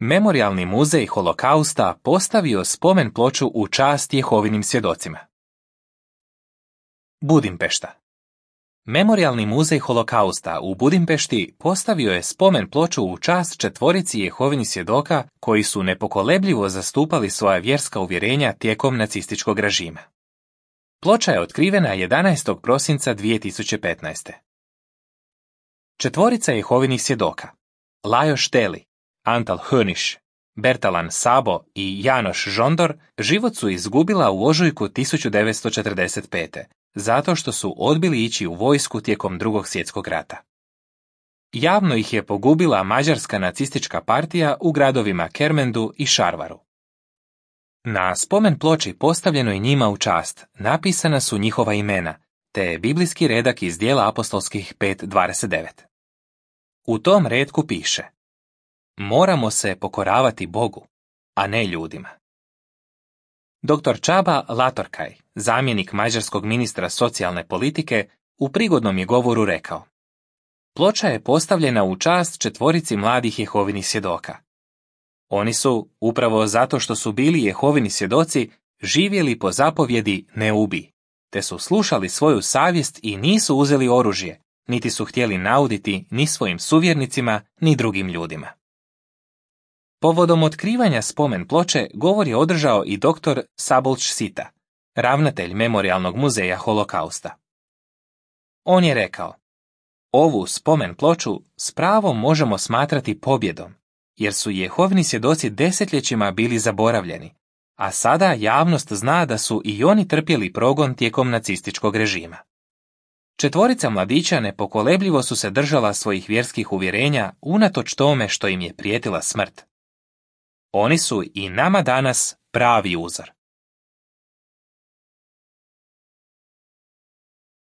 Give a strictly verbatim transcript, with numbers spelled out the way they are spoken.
Memorijalni muzej Holokausta postavio spomen ploču u čast Jehovinim svjedocima. Budimpešta. Memorijalni muzej Holokausta u Budimpešti postavio je spomen ploču u čast četvorici Jehovinih svjedoka koji su nepokolebljivo zastupali svoja vjerska uvjerenja tijekom nacističkog režima. Ploča je otkrivena jedanaestog prosinca dvije tisuće petnaeste. Četvorica Jehovinih svjedoka, Lajos Šteli, Antal Höniš, Bertalan Sabo i Janoš Žondor, život su izgubila u ožujku tisuću devetsto četrdeset pete. zato što su odbili ići u vojsku tijekom Drugog svjetskog rata. Javno ih je pogubila mađarska nacistička partija u gradovima Kermendu i Šarvaru. Na spomen ploči postavljenoj njima u čast napisana su njihova imena, te biblijski redak iz Djela apostolskih pet dvadeset devet. U tom retku piše: moramo se pokoravati Bogu, a ne ljudima. doktor Čaba Latorkaj, zamjenik mađarskog ministra socijalne politike, u prigodnom je govoru rekao: ploča je postavljena u čast četvorici mladih Jehovinih svjedoka. Oni su, upravo zato što su bili Jehovini svjedoci, živjeli po zapovjedi ne ubij, te su slušali svoju savjest i nisu uzeli oružje, niti su htjeli nauditi ni svojim suvjernicima, ni drugim ljudima. Povodom otkrivanja spomen ploče govor je održao i doktor Sabolč Sita, ravnatelj Memorijalnog muzeja Holokausta. On je rekao: ovu spomen ploču s pravom možemo smatrati pobjedom, jer su Jehovini svjedoci desetljećima bili zaboravljeni, a sada javnost zna da su i oni trpjeli progon tijekom nacističkog režima. Četvorica mladića nepokolebljivo su se držala svojih vjerskih uvjerenja unatoč tome što im je prijetila smrt. Oni su i nama danas pravi uzor.